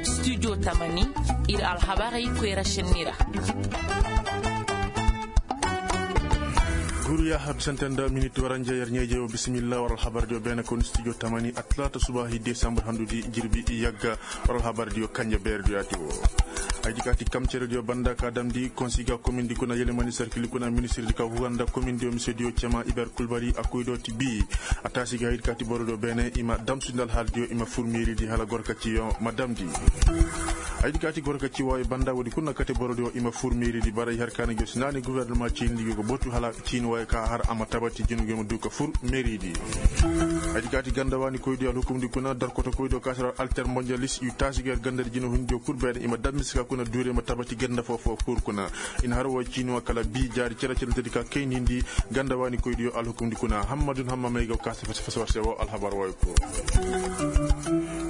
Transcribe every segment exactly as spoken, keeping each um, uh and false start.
Studio tamani, ir alhabarey koyra šenni ra. Guru ya habisante nda minit waranja yer ɲeeje wo bisimilla war alhabardiyo beene kon studio tamani, atalaata subaahi desambur handudi jirbi yagga. War alhabardiyo kanja beerediyo ati wo. Haydi ka ti kamcerediyo banda ka damndi konsiga komindi kuna yelemani sarkili kuna ministirdi ka huganda komindiyo misediyo cema iber kulbari a koydo ti bi. A taasi ga haydi ka ti borodiyo beene i ma damsundi alhaaldiyo i ma fur meeridi hala gorka ciyo ma damndi. Haydi ka ti gorka ciwaayo banda woodi kuna kate borodiyo i ma fur meeridi bara i har kaana jo si naani guwernama ciindi yo ga botu hala ciini waayo ka har a ma tabati jinu yo ma du ka fur meeridi. Haydi ka ti ganda waani koydiyo alhukumndi kuna darkoto koydiyo ka sara alter mondialis i taasi ga yer gandadi jina hundiyo kul beene i ma dammi si ka kuna duure ma tabati ganda foo foo fur kuna. I na har woo ciini wa kala bi jaari cere cere tedi ka kayndi hindi ganda waani koydiyo alhukumndi kuna hammadun hamma may ga kaasa fasa fasa war se woo alhabar wooyo kul.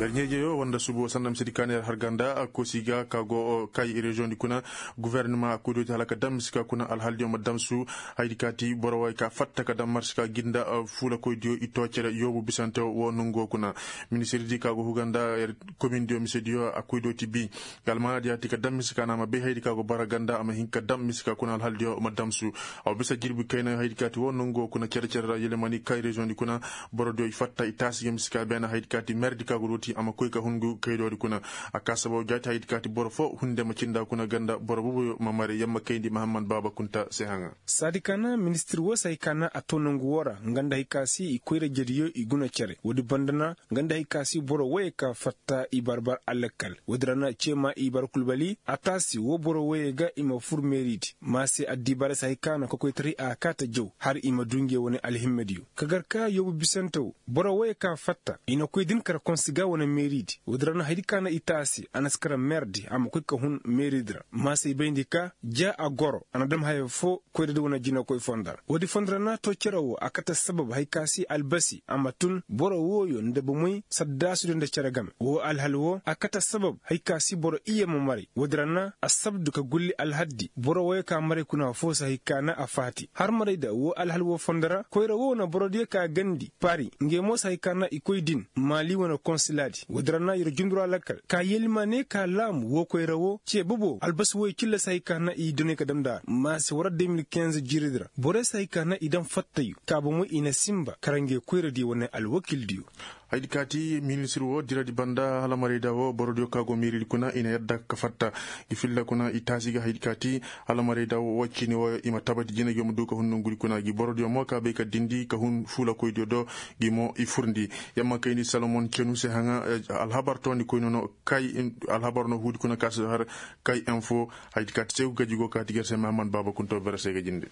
Yer ɲeejeyo woo nda subu woo sanda misedi ka na yer har ganda koosi ga ka go kay reziyoŋdi kuna. Guwernama a koydiyo ti hala ka dam misi ka kuna alhaaldiyo ma damsu. Haydi ka ti boro wooyo ka fatta ka dam marsi ka ginda fuula koydiyo i too cere yoobu bisante woo nongu woo kuna. Ministirdi ka go huganda yer komindiyo misediyo a koydiyo ti bi. Ga almaanadi ya ti ka dam misi ka na a ma bay haydi ka go bara ganda a ma hin ka dam misi ka kuna alhaaldiyo ma damsu. A wa bisa jirbi kayna haydi ka ti woo nongu woo kuna cere cere ra yelemani kay reziyoŋdi kuna. Borodiyo i fatta i taasi ga misi ka beene haydi ka ti merdi ka go dooti a ma koy ka hun ngu kaydoodi kuna. A ka sababu jaati haydi ka ti boro foo hunde ma cinda kuna ganda boro bubuyo ma mare yamma kayndi mahammad baaba kunta se haŋa. Saadi ka na ministir woo se hay ka na a too nongu woo ra nga nda hay ka si i koyra jediyo i guna cere woodi banda na nga nda hay ka si boro wooyey ka fatta i barbar alakal woodi ra na ceema i bar kulbali a taasi woo boro wooyey ga i ma fur meeridi ma se addibaara se hay ka na kokoytaray a kaata jaw har i ma du nge wane alhimmadiyo ka gar ka yoobu bisante woo. Boro wooyey ka fatta i na koy din kara konsi ga wane meeridi woodi ra na haydi ka na i taasi a na si kara meerdi a ma koy ka hun meeridi ra ma se i bayndi ka ja a goro a na dam haya foo koyra di wane jinakoy fonda ra woodi fonda ra na too cere woo a kate sabab hay ka si albasi a ma tun boro wooyo nda bomey saddaasudiyo nda cere game woo alhal woo a kate sabab hay ka si boro iyye ma maray woodi ra na assabdu ka gulli alhaddi boro wooyo ka maray kuna foo se hay ka na a faati har maray da woo alhal woo fonda ra koyra woo na borodiyo ka gandi pari ngey mo se hay ka na i koy din maali wane konsilaadi woodi ra na yer jundura lakkal ka yelmane ka laamu woo koyra woo cee bobo albasi wooyo cilla se hay ka na i doney ka dam nda a ma se war de mil kinze jiiridi ra borey se hay ka na i dam fattayu ka bomey i na sinba kara ngey koyradiyo wane alwakildiyo. Haydi ka ti ministir woo diradi banda halamarayda woo borodiyo ka go meeridi kuna i na yadda ka fatta i filla kuna i taasi ga haydi ka ti halamarayda woo ciini wooyo i ma tabati jina gi ma du ka hun nongudi kuna gi borodiyo mo ka bay ka dindi ka hun fuulakoydiyo do gi mo i furndi. Yamma kayndi salomon cenu se haŋa alhabar toondi koy nono kay alhabar no huudi kuna ka si har kay info. Haydi ka ti se ga jigo ka ti gar se mahammad baaba kunto bere se ga jinde.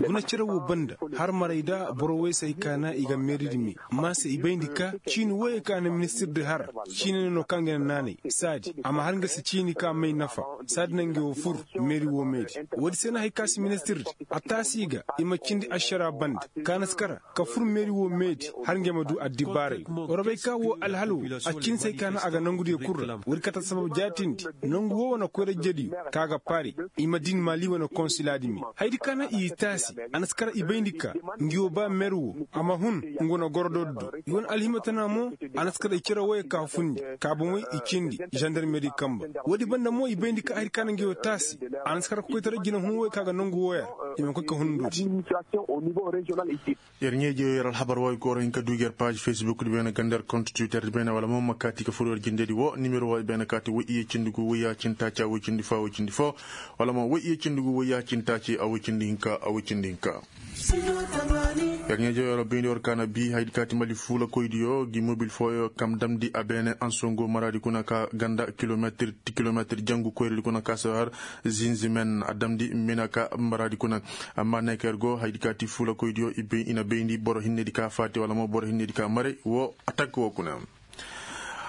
Guna cere woo banda har maray da boro woy se hay ka na i ga meeridi me ma se i bayndi ka ciini woyey ka na ministir di har ciini ne no kaŋ ga na naanay saadi a ma har nga se ciini ka may nafa saadi na nga woo fur meeri woo meedi woodi se na hay ka si ministir di a taasi ga i ma cindi ašara banda ka na si kara ka fur meeri woo meedi har nga ma du addibaaray. War bay ka woo alhal woo a cindi se hay ka na a ga nongudiyo kul ra woodi kate sabab jaatindi nongu woo wane koyra jediyo ka ga paari i ma din maali wane konsilaadi me haydi ka na i taasi a na si kara i bayndi ka ngi woo ba mer woo a ma hun nga wane gorodoodi do i wane alhimatana mo a na si kara i cere woyey ka fundi ka bomey i cindi zandarmeri kamba woodi banda mo i bayndi ka haydi ka na ngi woo taasi a na si kara ka koytaray jinahun woyey ka ga nongu wooya i ma koy ka hun nduudi. Yer ɲeeje yer alhabar wooyo ka war hin ka duugi yer paazi fesbuk di beene ganda yer kont twitter di beene wala mo ma kaati ka fur yer jindedi woo nimero wooyo beene kaati woy iyye cindi gu woy yaacinta ci a woy cindi foo a woy cindi foo wala mo woy iyye cindi gu woy yaacinta ci a woy cindi hinka a woy cindi hinka. Yer ɲeeje yer bayndi war kaana bi haydi kaati mali fuulakoydiyo gi mobil fooyo kam damndi a beene ansongo maraadi kuna ka ganda kilometir ti kilometir jangu koyredi kuna ka si har zinzimen a damndi mina ka maraadi kuna. Amma neeker go haydi ka ti fuulakoydiyo i na bayndi boro hinnedi ka faati wala mo boro hinnedi ka maray woo atak woo kuna.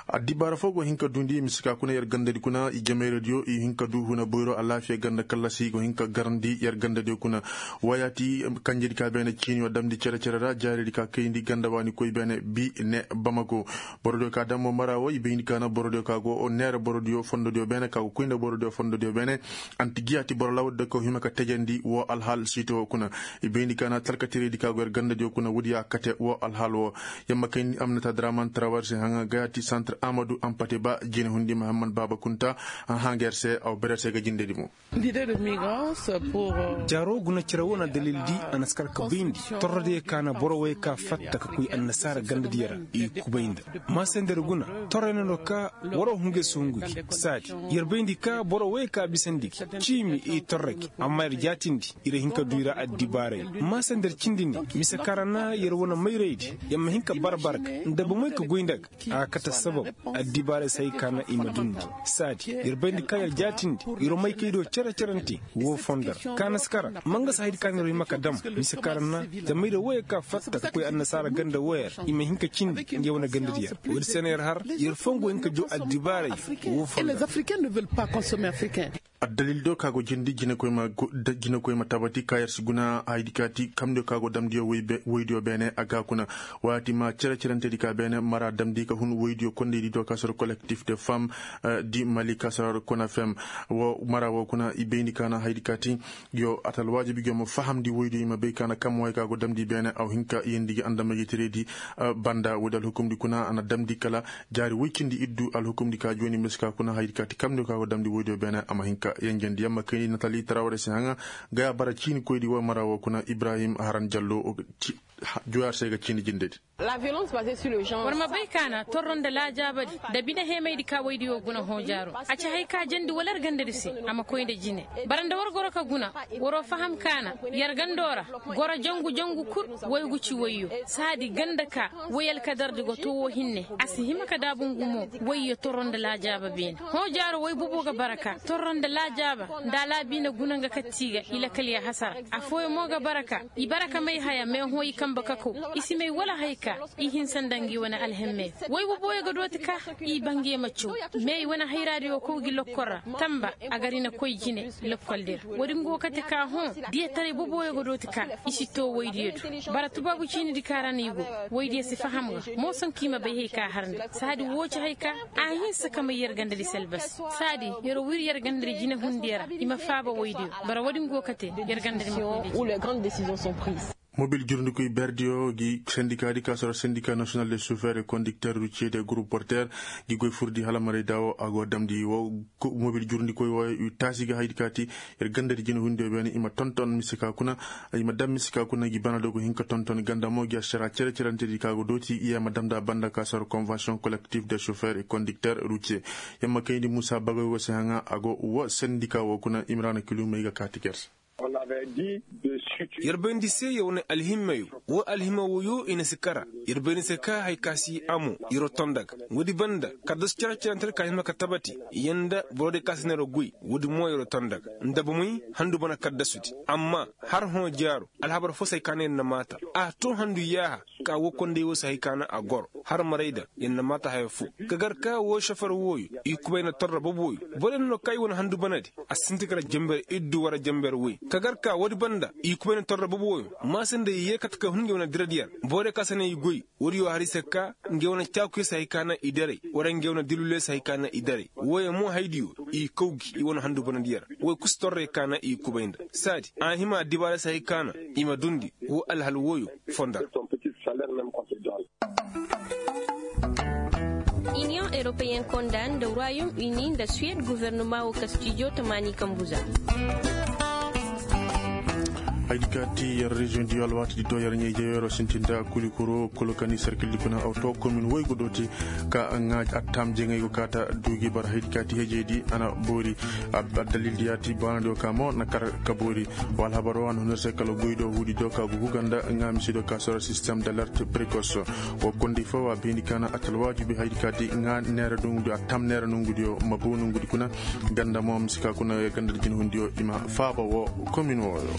Addibaara foo go hin ka duundi mise ka kuna yer gandadi kuna i jamayradiyo i hin ka duu huna boyro alaafiya ganda kallasi go hin ka garandi yer gandadiyo kuna. Wayaati kanjedi ka beene ciiniyo damndi cere-cere ra jaaridi ka kayndi ganda waani koy beene bi ne bamako. Borodiyo ka dammo mara wo i bayndi ka na borodiyo ka go neera borodiyo fondodiyo beene ka go koy nda borodiyo fondodiyo beene. Anti giyaati boro lawadi da ka hima ka tajandi wo alhaal siito wo kuna. I bayndi ka na talkatiraydi ka go yer gandadiyo kuna woodi ya kate wo alhaal wo. Yamma kayndi amnata draman trawarse haŋa gayaati santre amadu ampate ba jine hundi mahammad baaba kunta. Haŋ yer se aw bere se ga jindedi mo. Jaaro guna cere wo na dalildi a na si kar ka bayndi torrodiyo ka na boro wey ka fatta ka koy annasaara gandadiyo ra. I kubay nda maasender guna torrey na no ka waro hungu yer si hungu gi saadi. Yer bayndi ka boro wey ka bisandi gi ciimi i torra gi amma yer jaatindi. Yer hin ka duu i ra addibaaray maasender cindi ne mise ka ra na yer wane mayraydi. Yer ma hin ka bara bara ga nda bomey ka goy nda ga a kate sabab. Addibaaray se hay ka na i ma dundi saadi yer bayndi ka yer jaatindi. Yer maykaydiyo cere-cerante woo fondo ra ka na si kara ma nga si haydi ka na yer hima ka dam mise ka ra na zama yer wooyo ka fatta ka koy annasaara ganda wooyo ra i ma hin ka cindi nga wane gandadiyo ra. Woodi se na yer har yer foo nga hin ka jaw addibaaray woo fondo ra. Addalil do ka go jindi jinekoy ma tabati ka yer si guna haydi kaati kamdiyo ka go damdiyo woydiyo beene a ga kuna. Waati ma cere-cerentedi ka beene mara damndi ka hun woydiyo kondeydi do ka soro kolektif de fam di mali ka soro kona fem. Mara wo kuna i bayndi ka na haydi kaati yo atalwaajibi gi yo ma fahamndi woydiyo i ma bay ka na kam way ka go damndi beene aw hinka yeendi gi andamagiteredi. Banda woodi alhukumndi kuna a na damndi kala jaari woy cindi iddu alhukumndi ka jooni mise ka kuna haydi kaati kamdiyo ka go damndi woydiyo beene a ma hinka yenjendi yamma kayndi natali tarawre se haŋa. Gaya bara ciinikoydi wo mara wo kuna ibrahim haran jallo. Juwaar se ga ciini jindedi. War ma bay ka na torro nda laajaabadi nda bine heemaydi ka woydiyo guna hoojaaro. A ci hay ka jandi wala yer gandadi se a ma koy nda jine. Bara nda war goro ka guna waroo faham ka na yer gando ra goro jangu jangu kul. Woygu ci woyyo saadi ganda ka woy alkadardi go too woo hinne a si hima ka daabu ngu mo. Woyyo torro nda laajaaba beene hoojaaro woy bobo ga bara ka torro nda laajaaba nda alaabiine guna nga katti ga i lakal ya hasara. Affooyaŋ mo ga bara ka i bara ka may haya meehõ i kambe ka kaw. I si may wala hay ka i hinsa nda ngi wane alhemme. Woy boboyo ga dooti ka i bangey ma caw. Me i wane hayraadiyo kaw gi lokkol ra tamba a gar i na koy jine. Lokkoldi ra woodi nga wo kate ka hõ diyataray boboyo ga dooti ka i si too woydiyo do. Bara tubaabu ciinidi ka ra no i go woydiyo si faham ga. Mooson ka i ma bay hay ka har nda saadi woo ci hay ka a hinsa ka may yer gandadi se albasi. Saadi yer wir yer gandadi jinehundiyo ra i ma faaba woydiyo. Bara woodi nga wo kate yer gandadi ma koy nda jine. Mobil jurndikoy berdiyo gi sendikaadi ka soro sendika national de chauffeur et conducteur routier de groupe porteur gi goy furdi hala maray daawo a go damndi wo. Mobil jurndikoy wo taasi ga haydi kaati yer gandadi jinehundiyo beene i ma tonton mise ka kuna. I ma dam mise ka kuna gi bana do go hin ka tonton ganda mo gi ašara cere-cerentedi ka go dooti i ya ma damndi a banda ka soro convention collectif de chauffeur et conducteur routier. Yamma kayndi muusa bagoy wo se haŋa a go wo sendika wo kuna imrana kilumey ga kaati ger se. Yer bayndi se yer wane alhimmayo woo alhimma woyo i na si kara. Yer bayndi se ka hay ka si amo yeroo tonda ga woodi banda kaddasu cere-cerentedi ka hima ka tabati. Yer nda borodiyo ka si na yeroo goy woodi mo yeroo tonda ga nda bomey handu bana kaddasudi. Amma har hõ jaaro alhabar foo se hay ka na yer na maata a too handu yaaha. Ka woo konday woo se hay ka na a goro har maray da yer na maata haya foo. Ka gar ka woo šofer wooyo i kubay na torra bob wooyo. Boro yer na no ka i wane handu banadi a sinti kala jenber iddu wara jenber woy ka gar ka woodi banda i kubay na torra bob wooyo. Maasa nda i yee kate ka hun nge wane diradiyo ra boro ka se na i goy woodi yoo har i se ka nge wane caakuyo se hay ka na i daray wara nge wane diluliyo se hay ka na i daray. Wooyo mo haydiyo i kaw gi i wane handu banadiyo ra woy kusa torrey ka na i kubay nda saadi a hima addibaara se hay ka na i ma dundi woo alhal wooyo. Fondar. Iniyoŋ eropeyen konda nda royom uni nda suwed guvernoma wo kastijo tamaani kambuza. Haydi kaati yer reziyoŋ di alwaati di do yer ɲayjey yeroo sintinda kulikuro kolokani serkildi kuna awto komin woy go dooti ka ŋaaji attaam jeŋey go kaata duugi bara haydi kaati hejey di a na boori. Addalil di yaati baanadiyo ka mo na kar ka boori. Wa alhabaroo a na hun yer se kala goy do huudi do ka gugu ganda ŋaa misidiyo ka soro sistem d'alerte prekos. Wa kondi foo wa bayndi ka na atalwaaju bi haydi kaati ŋaa neera nongudiyo attaam neera nongudiyo ma bow nongudi kuna. Ganda mo misi ka kuna ganda di jinahundiyo i ma faaba woo komin wooyo.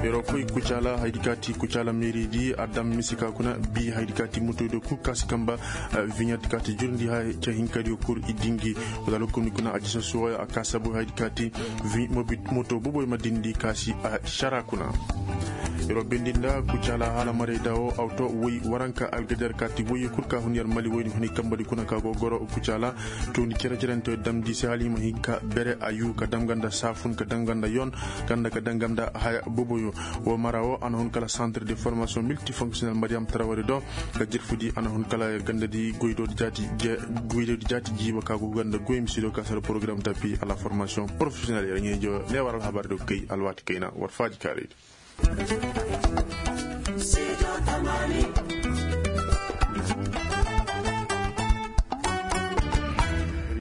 Yeroo koy kucaala haydi kaati kucaala meeridi a dam mise ka kuna bi haydi kaati motoydo kul kaasi kamba viɲati kaati jurndi hay ca hinkadiyo kul i dingi. Wala lokoni kuna a jisa suwaya a kaasa boy haydi kaati moto boboy ma dindi kaasi a cara kuna. Yeroo bendi nda kucaala hala maray dawo awto woy waranka algajar kaati woy kul ka hun yar mali woy ni huni kambadi kuna ka go goro kucaala. Toni cere-cerente damndi se hala i ma hin ka bere a yu ka dam ganda saafun ka dam ganda yon ganda ka dam ganda haya boboyo. Wo mara wo a na hun kala centre de formation multifonctionnel mariyam tarawari do ka jirfudi a na hun kala gandadi goydodi jaati jiiba ka go ganda goy misido ka sara programme tapi a la formation professionnel yar ɲeejo ne war alhabar do kay alwaati kayna war faaji kaaraydi.